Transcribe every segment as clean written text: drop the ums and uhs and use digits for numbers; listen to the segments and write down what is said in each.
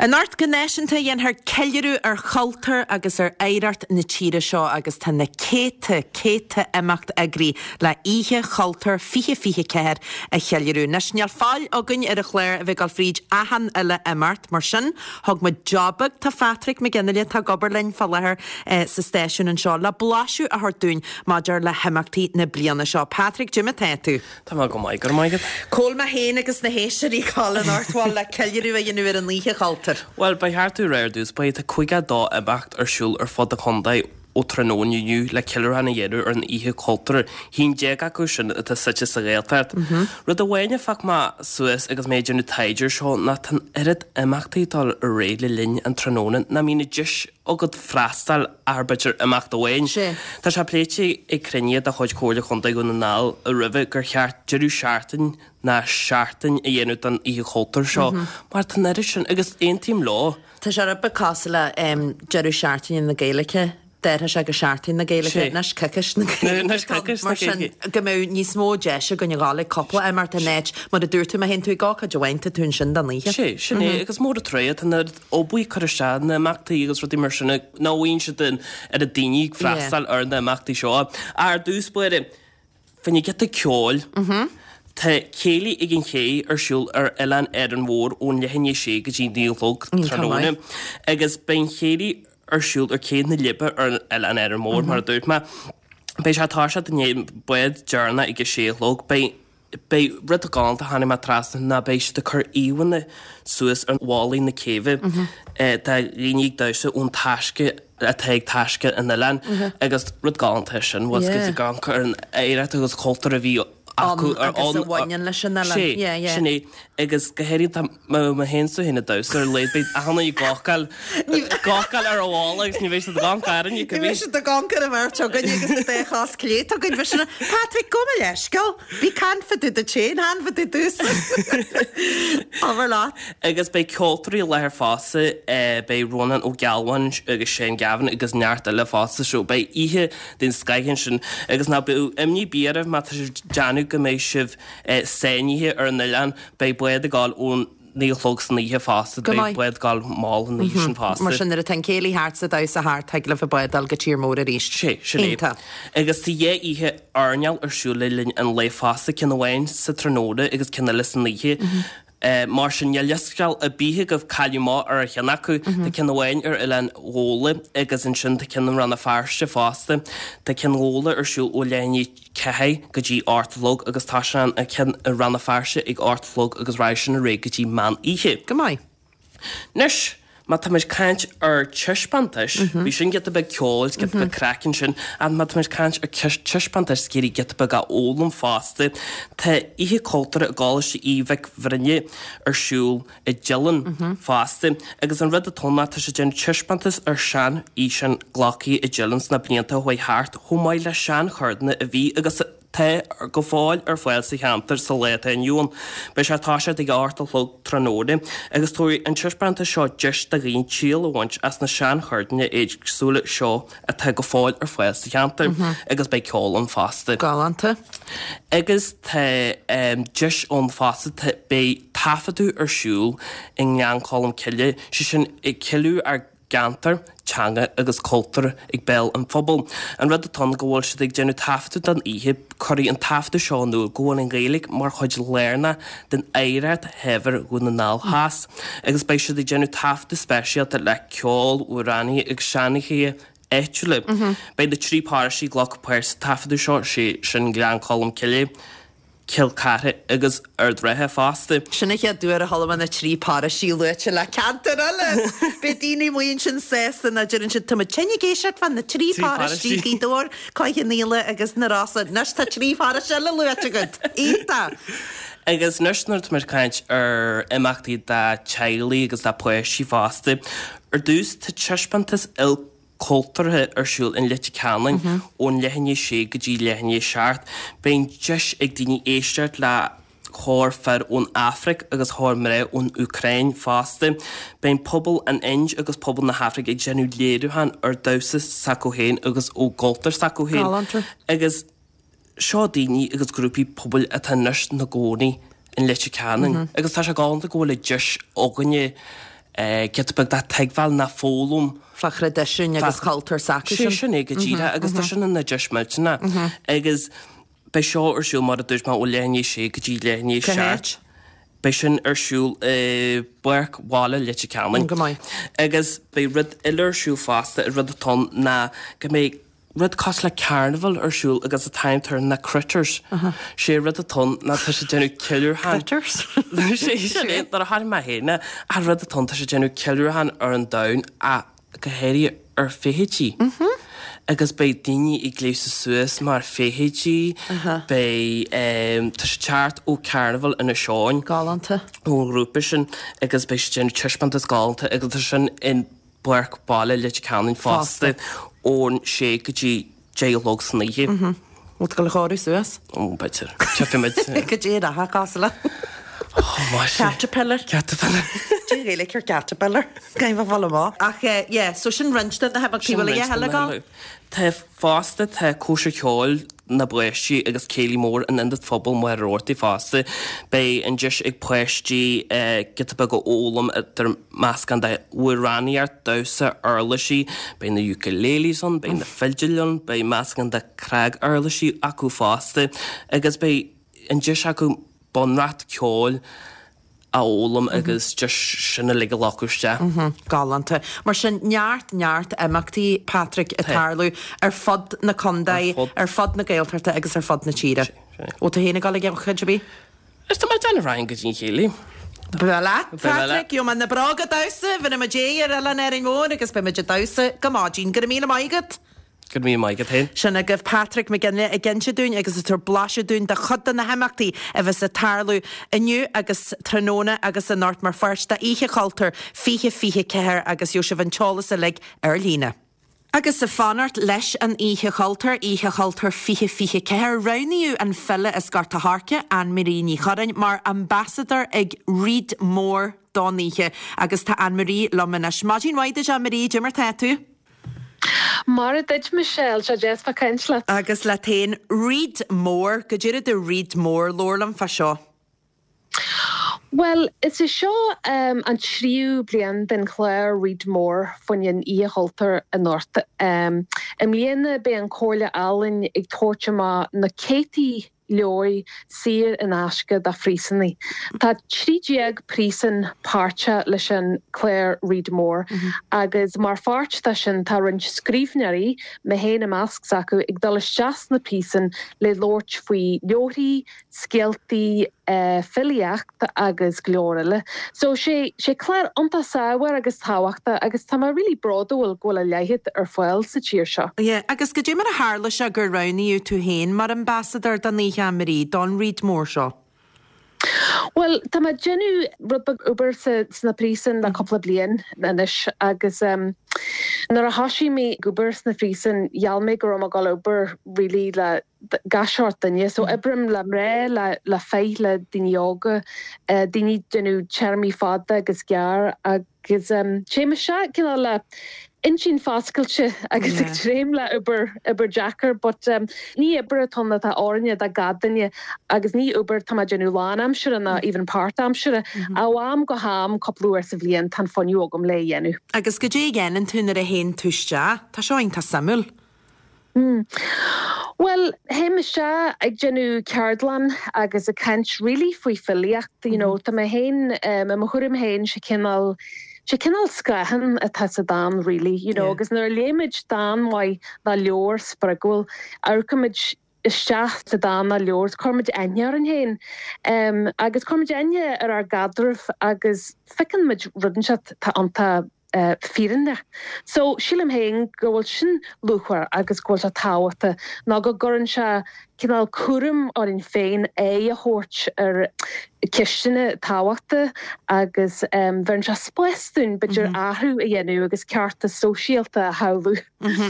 Anocht go náisiúnta dhéanfar ceiliúradh ar chultúr agus ar oidhreacht na tíre seo agus tá na céadta, céadta imeacht eagraithe le Oíche Chultúir 2024 a cheiliúradh. Anois níl fáil againn ar an chlár a bheith ag dul fríd achan uile imeacht, mar sin thug muid job beag do Phatrick Mac Fhionnghaile atá ag obair linn fá láthair sa stáisiún anseo le blaiseadh a thabhairt dúinn maidir le himeachtaí na bliana seo. Patrick, goidé mar atá tú? Tá mé go maith, go raibh maith agat. Cá bhfuil mé féin agus na héisteoirí ag gabháil anocht bhuel le ceiliúradh a dhéanamh ar an Oíche Chultúir? Bhuel, ba cheart tú a rá ar dtús báire, tá 52 imeacht ar siúl ar fud an chontae ó tráthnóna inniu le ceiliúrachán a dhéanamh ar an Oíche Chultúir, 11 acu sin atá suite sa Ghaeltacht. Rud amháin a phioc mé suas agus mé ag déanamh taighde air seo ná tá an oiread imeachtaí ag dul ar aghaidh le linn an tráthnóna nach mbíonn an deis agat freastal ar b'fhéidir imeacht amháin. Tá sé pléite ag cruinnithe de chuid Chomhairle Chontae Dhún na nGall roimhe gur cheart deireadh seachtaine ná seachtain a dhéanamh den Oíche Chultúir seo mar tá an oiread sin agus aontaím leo. Tá sé rud beag cosúil le deireadh seachtaine na Gaeilge, d'athraigh sé go Seachtain na Gaeilge, anois coicís na Gaeilge. Mar sin go mbeadh níos mó deis againn a ghabháil ag cúpla imeacht in áit mar a dúirt tú má théann tú ag ócáid amháin tá tú ansin don oíche. Sé, sin é agus mór an trua tá an obair curtha isteach na imeachtaí agus rudaí mar sin nach bhfaigheann siad an oiread daoine ag freastal ar na imeachtaí seo. Ar dtús báire, fá choinne giota ceoil, tá Céilí ag an Ché ar siúl ar Oileán Árainn Mhór ón leath i ndiaidh a sé go dtí 9 a chlog tráthnóna agus beidh an chéilí ar siúl ar Cé na Leidhbe ar Oileán Árainn Mhór mar a dúirt mé. Beidh sé ag toiseacht i ndiaidh an bád deireanach ag a sé a chlog. Beidh Beidh rud galánta a tháinig mé trasna ná beidh siad ag cur íomhánna suas ar bhallaí na céibhe de dhaoine ag damhsa ón taisce atá ag taisce an oileáin agus rud galánta é sin, bhfuil 's agat ag amharc ar an oidhreacht agus cultúr a bhí acu ar agus a bhaineann leis an oileán. Sé, sin é. Agus go háirithe tá mé féin is tú féin ag damhsa ar a laghad beidh achan duine ag gabháil gabháil ar an bhalla agus ní bheidh siad ag amharc orainn Ní bheidh siad ag amharc ar an bheirt againn agus an dá chos clé againn. Bhí sin Patrick, gabh mo leithscéal. Bhí caint fá dtaobh duit féin, chan fá dtaobh domhsa. Abair leat. Agus beidh ceoltóirí i láthair fosta, beidh Rónán Ó Gealbháin agus Shane Gavin agus neart eile fosta so beidh oíche den scoith ansin. Agus ná bíodh imní ar bith oraibh má tá sibh ag déanamh go mbeidh sibh sáinnithe ar an oileán, beidh bád ag gabháil ón 9 a chlog san oíche fosta, Go beidh maith. bád ag gabháil mall an oíche sin fosta. Mar sin nuair atá an céilí thart 's an damhsa thart, thig libh an bád a fháil go tír mór arís. Sé, sin é. Iontach. Agus tá dhá oíche airneáil ar siúl le linn an lae fosta, ceann amháin sa tráthnóna agus ceann eile san oíche. Mar sin níl leithscéal ar bith agaibh cailleadh amach ar cheann acu. Tá ceann amháin ar Oileán Ghabhla agus ansin tá ceann i Rann na Feirste fosta. Tá ceann Ghabhla ar siúl ó leath i ndiaidh 4 go dtí 8 a chlog agus tá sé an ceann i Rann na Feirste ag 8 a chlog agus raghaidh sin ar aghaidh go dtí meán oíche. Go maith. Anois, má táimid ag caint ar taispeántais, bhí sin giota beag ceoil, is giota beag craic ansin, ach má táimid ag caint ar taispeántais is ag iarraidh giota beag a fhoghlaim fosta, tá Oíche Cultúrtha i gColáiste Aoidh Mhic Bhroinne ar siúl i dTeileann fosta. Agus an rud atá ann ná tá siad ag déanamh taispeántas ar sean-fhíseáin glactha i dTeileann sna blianta a chuaigh thart, chomh maith le seancheirdeanna a bhí agus atá go fóill ar fáil sa cheantar sa lá atá inniu ann. Beidh sé ag toiseacht ag a 8 a chlog tráthnóna agus tabharfaidh an taispeántas seo deis do dhaoine triail a bhaint as na seancheirdeanna éagsúla seo atá go fóill ar fáil sa cheantar agus beidh ceol ann fosta. Galánta. Agus tá deis ann fosta, beidh taifeadadh ar siúl i nGleann Cholm Cille, sé sin ag ceiliúradh ár gceantar, teanga agus cultúr ag béal an phobail. An rud atá ann go bhfuil siad ag déanamh taifeadadh don oíche, cuirfidh an taifeadadh seo in iúl go bhfuil an Ghaeilge mar chuid lárnach den oidhreacht shaibhir Dhún na nGall Theas agus beidh siad ag déanamh taifeadadh speisialta le ceol, amhránaithe agus seanchaithe áitiúla. Beidh na trí paróistí ag glacadh páirt sa taifeadadh seo, sé sin Gleann Cholm Cille, Cill Chartha agus Ard an Rátha fosta. Sin an chéad uair a chuala mé na trí paróistí luaite le ceantar eile! Beidh daoine amuigh ansin sásta ná deireann siad tá muid tinn ag éisteacht fá na trí paróistí, Gaoth Dobhair, Cloich Cheann Fhaola agus na Rosa. Anois tá trí pharóiste eile luaite agat! Iontach! Agus anois nuair atá muid ag caint ar imeachtaí do teaghlaigh agus do pháistí fosta, ar dtús tá taispeántas ilchultúrtha ar siúl in Leitir Ceanainn ón leath i ndiaidh a sé go dtí leath i ndiaidh a seacht. Beidh an deis ag daoine éisteacht le chór fir ón Afraic agus chór mná ón Úcráin fosta. Beidh pobal an Ind agus pobal na hAfraice ag déanamh léiriúchán ar damhsa s'acu féin agus ó gcultúr s'acu féin. Galánta. Agus seo daoine agus grúpaí pobail atá anois ina gcónaí in Leitir Ceanainn agus tá sé galánta go bhfuil an deis againne. Giota beag de tuigbheáil ná foghlaim. Fá thraidisiún agus cultúr s'acu sin. Sé sin é go díreach agus tá sin ina deis millteanach. Agus beidh seo ar siúl mar a dúirt mé ó leath i ndiaidh a sé go dtí leath i ndiaidh a 7. Beidh sin ar siúl i bPáirc Bhaile Leitir Ceanainn. Go maith. Agus beidh rud eile ar siúl fosta, rud atá ann ná go mbeidh rud cosúil le carnival ar siúl agus an t-ainm atá air ná Critters. Sé rud atá ann ná tá sé ag déanamh ceiliúrtha. Critters? Sé sin é, nuair a chonaic mé féin é, ach rud atá ann tá sé ag déanamh ceiliúrtha ar an domhan ach go háirithe ar feithidí. Agus beidh daoine ag gléasadh suas mar feithidí, beidh, tá sé ag teacht ó Carnival Inis Eoghain. Galánta. Ón ghrúpa sin agus beidh sé ag déanamh taispeántas galánta agus tá sin in Páirc Baile Leitir Ceanainn fosta ón sé go dtí 10 a chlog san oíche. Bhfuil tú ag dul a chóiriú suas? Ó, b'fhéidir. Tchífidh muid. Goidé an dath cosúil le? Ó, maise. Caterpillar. Caterpillar. Cad é an Ghaeilge ar caterpillar? Caithfidh mé fáil amach. Ach yeah, so sin roinnt de na himeachtaí. Bhfuil a dhath eile ag dul? Tá fosta, tá cóisir cheoil na bpáistí agus céilí mór in Ionad Phobail Mhachaire Rabhartaigh fosta. Beidh an deis ag páistí giota beag a fhoghlaim idir meascán de amhránaíocht, damhsa, uirlisí, beidh na ukuleles ann, beidh na fidil ann, beidh meascán de cnaguirlisí acu fosta agus beidh an deis acu bunreacht ceoil a fhoghlaim agus just sin uilig a ghlacadh isteach. Galánta. Mar sin, neart, neart imeachtaí, Patrick, ag tarlú ar fud na contae, ar fud na Gaeltachta agus ar fud na tíre. Bhfuil tú féin ag dul ag ócáid ar bith? Is tá mé ag déanamh rachainn go dtí an chéilí. Breá leat, Patrick, gheobhaidh mé na bróga damhsa, bhéarfaidh muid aghaidh ar Oileán Árainn Mhór agus beidh muid ag damhsa go maidin. Go raibh míle maith agat. Go raibh míle maith agat féin. Sin agaibh Patrick McGinley ag inse dúinn agus ag tabhairt blaiseadh dúinn de chuid de na himeachtaí a bheas ag tarlú inniu agus tráthnóna agus anocht mar pháirt d'Oíche Chultúir 2024 agus gheobhaidh sibh an t-eolas uilig ar líne. Agus ag fanacht leis an Oíche Chultúir, Oíche Chultúir 2024, roghnaíodh an file as Gort a' Choirce, Anne Marie Ní Churráin, mar ambasadóir ag Read More don oíche agus tá Anne Marie liom anois. Maidin mhaith duit Anne Marie, cad é mar tá tú? Mairfidh duit Michelle, sé deas bheith caint leat. Agus leat féin, Read More, goidé rud é Read More, labhair liom fá seo. Bhuel, is é seo an tríú bliain den chlár Read More faoin Oíche Chultúir anocht. I mbliana beidh an Chomhairle Ealaíon ag tabhairt amach na céadtaí leabhair saor in aisce do phríosúnaigh. Tá 13 príosún páirteach leis an clár Read More agus mar pháirt de sin tá roinnt scríbhneoirí, mé féin i measc s'acu, ag dul isteach sna príosúin le labhairt faoi leabharthaí, scéaltaí, filíocht agus go leor eile. So sé sé clár iontach saibhir agus tábhachtach agus tá mé really bródúil go bhfuil a leithéid ar fáil sa tír seo. Yeah, agus goidé mar a tharla sé gur roghnaíodh tú féin mar ambasadóir don oíche, Anne Marie, don Read More seo? Bhuel, tá mé ag déanamh rud beag obair sna príosúin le cúpla bliain anois agus nuair a thoisigh mé ag obair sna phríosúin gheall mé go raibh mé ag dul obair really le gach seort duine. So oibrím le mná, le le fir, le daoine óga, daoine ag déanamh téarmaí fada agus gearr agus téim isteach cineál le intinn foscailte agus ag dréim le obair, obair deacair but ní obair atá ann atá oiriúnach do gach duine agus ní obair atá mé ag déanamh lánaimseartha ná even páirtaimseartha. Ó am go ham, cúpla uair sa bhliain, tá an fuinneamh agam le é a dhéanamh. Agus goidé a dhéanann tú nuair a théann tú isteach? Tá seo iontach suimiúil. Bhuel, théim isteach ag déanamh ceardlann agus ag caint really faoi filíocht, you know, tá mé féin, i mo thuairim féin, sé cineál, sé cineál scáthán atá sa dán really, you know, agus nuair a léimid dán maith nó leabhar spreagúil, amharcaimid isteach sa dán nó leabhar, cuirimid aithne orainn féin, agus cuirimid aithne ar ár gcaidreamh agus feiceann muid rud inteacht atá iontach fírinneach. So, sílim féin go bhfuil sin luachmhar agus go bhfuil sé tábhachtach nó go gcuireann sé cineál cúram orainn féin aghaidh a thabhairt ar ceisteanna tábhachta agus bheireann sé spás dúinn b'fhéidir athrú a dhéanamh agus ceartas sóisialta a shamhlú.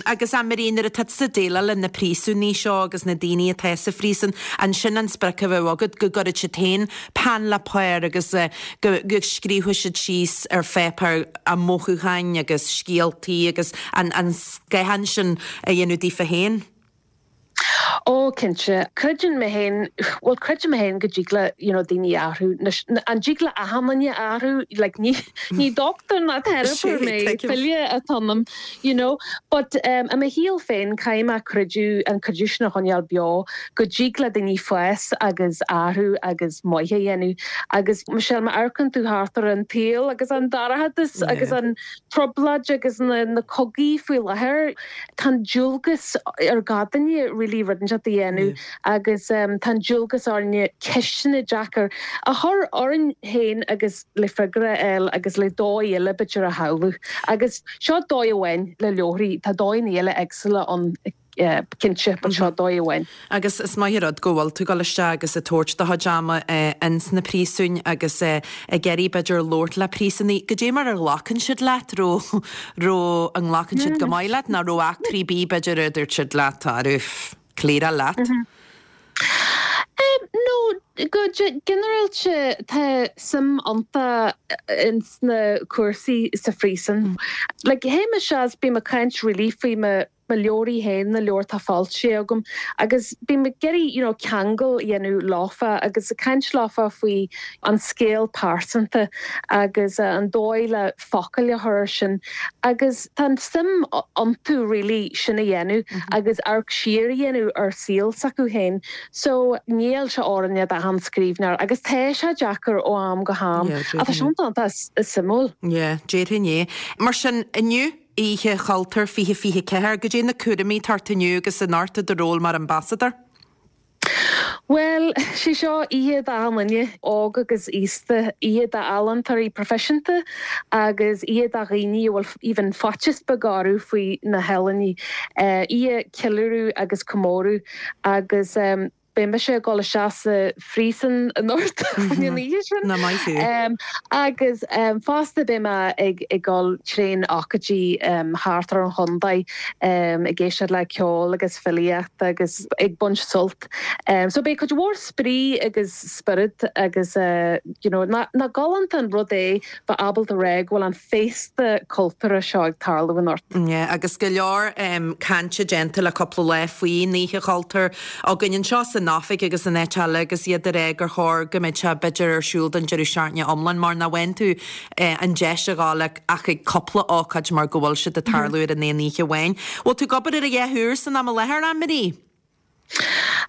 Agus a Marie, nuair atá tusa ag déileáil le na príosúnaigh seo agus na daoine atá sa phríosún, an sin an sprioc a bheadh agat, go gcuirfeadh siad féin peann le pár agus go scríobhadh siad síos ar pháipéar a mothúcháin agus scéaltaí agus an scáthán sin a dhéanamh daofa féin? Ó, cinnte. Creideann mé féin, bhuel, creidim mé féin go dtig le, you know, daoine athrú. Anois, an dtig le achan duine athrú? Like, ní, ní dochtúir ná teiripeoir mé, file atá ionam, you know. But um, i mo shaol féin, caithfidh mé creideamh, an creideamh sin a choinneáil beo, go dtig le daoine fás agus athrú agus maith a dhéanamh. Agus, Michelle, má amharcann tú thart ar an tsaol agus an dorchadas agus an trioblóid agus na, na cogaí faoi láthair, Tá an dualgas ar gach duine really rud inteacht a dhéanamh agus tá an dualgas orainne ceisteanna deacair a chur orainn féin agus le freagra a fháil agus le dóigh eile b'fhéidir a shamhlú. Agus seo dóigh amháin le leabharthaí, tá dóigheanna eile éagsúla ann cinnte but seo dóigh amháin. Agus is maith an rud go bhfuil tú ag dul isteach agus ag tabhairt do chuid ama ins na príosúin agus ag iarraidh b'fhéidir labhairt le príosúnaigh. Goidé mar a ghlacann siad leat? Raibh, raibh, an nglacann siad go maith leat nó raibh eachtraí ar bith b'fhéidir a dúirt siad leat, arú, cliaráil leat? No, go ginearálta tá suim iontu ins na cúrsaí sa phríosún. Like, théim isteach is bím ag caint really faoi mo mo leabharthaí féin, na leabhair atá foilsithe agam agus bím ag iarraidh you know ceangal a dhéanamh leofa agus ag caint leofa faoi an scéal pearsanta agus an dóigh le focail a chur air sin agus tá an suim iontu really sin a dhéanamh agus amharc siar a dhéanamh ar saol s'acu féin. So níl sé oiriúnach d'achan scríbhneoir agus tá sé deacair ó am go ham ach tá sé iontach suimiúil. Yeah, déarfainn é. Mar sin, inniu, Oíche Chultúir 2024, goidé na cúraimí atá ort inniu agus anocht i do ról mar ambasadóir? Bhuel, sé seo oíche d'achan duine, óg agus aosta, oíche d'ealaíontóirí proifisiúnta agus oíche do dhaoine a bhfuil even faitíos beag orthu faoi na healaíona. Oíche ceiliúradh agus comóradh agus Beidh mise ag dul isteach sa phríosún anocht an oíche sin. Nach maith thú. Agus fosta beidh mé ag dul trén ócáidí thart ar an chontae ag éisteacht le ceol agus filíocht agus ag baint sult. So beidh cuid mhór spraoi agus spiorad agus you know nach galánta an rud é bheith ábalta rá go bhfuil an féasta cultúrtha seo ag tarlú anocht. Yeah, agus go leor cainte déanta le cúpla lá faoin Oíche Chultúir againn anseo san oifig agus in áit eile agus iad ag rá gur chóir go mbeadh sé b'fhéidir ar siúl don deireadh seachtaine iomlán mar nach bhfaigheann tú an deis a ghabháil ach ag cúpla ócáid mar go bhfuil siad ag tarlú ar an aon oíche amháin. Bhfuil tú ag obair ar a dhath úr san am i láthair, Anne-Marie?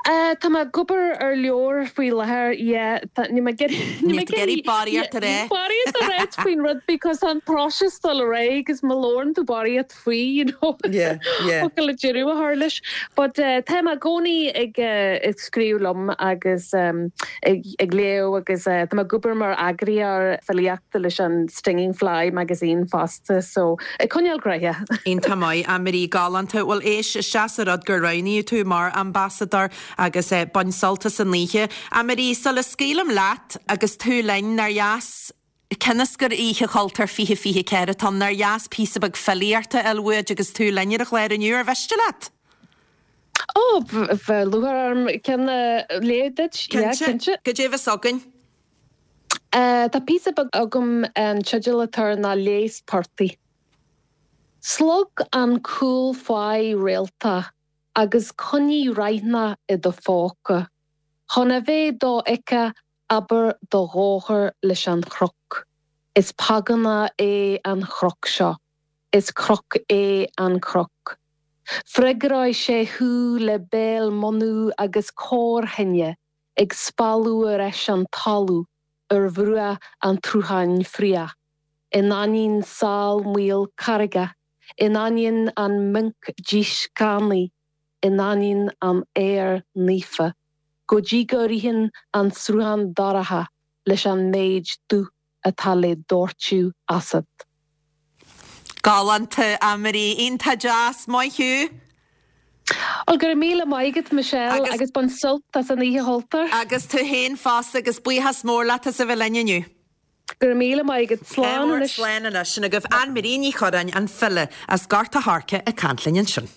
Tá mé ag obair ar leabhar faoi láthair, yeah. Tá, níl mé ag iarraidh, níl mé ag iarraidh barraíocht a rá. Barraíocht a ráit faoin rud because tá an próiseas ag dul ar aghaidh agus má labhrann tú barraíocht faoi, you know, Yeah, yeah. focal le deireadh a chur leis. But tá mé i gcónaí ag ag scríobh liom agus ag ag léamh agus tá mé ag obair mar eagraíoir filíochta leis an Stinging Fly magazine fosta so ag coinneáil gnoitheach. Iontach maith, Anne-Marie, galánta. Bhuel éist, is deas an rud gur roghnaíodh tú mar ambasadóir agus bain sult as an oíche. Anne-Marie, sula scaoilim leat agus tú linn, nár dheas, cionn is gur Oíche Chultúir 2024 atá ann, nár dheas píosa beag filíochta a fháil uait agus tú linn ar an chlár inniu, ar mhiste leat? Ó, bheadh lúcháir orm ceann a léamh duit, yeah, cinnte. Goidé a bheas againn? Tá píosa beag agam, an teideal atá air ná Leigheas Portaigh. Slog an cúl fáidh réaltach agus coinnigh raithneach i do phóca, chun a bheith dofheicthe abair do dhóchar leis an chnoc. Is págánach é an chnoc seo. Is cnoc é an cnoc. Freagróidh sé thú le béal munú agus corr-thine ag spalladh ar ais an talamh ar bhruach an tsrutháin fraoch, in ainneoin sál maol carraige, in ainneoin an minc dísceannaigh, in ainneoin an aeir naofa, go dtí go ritheann an sruthán dorcha leis an méid dúch atá le doirteadh asat. Galánta, Anne-Marie. Iontach deas. Maith thú. Bhuel, go raibh míle maith agat, Michelle, agus bain sult as an Oíche Chultúir. Agus tú féin fosta, agus buíochas mór leat as a bheith linn inniu. Go raibh míle maith agat. Slán anois. Slán anois. Sin agaibh Anne-Marie Ní Churráin, an file as Gort a' Choirce, ag caint linn ansin.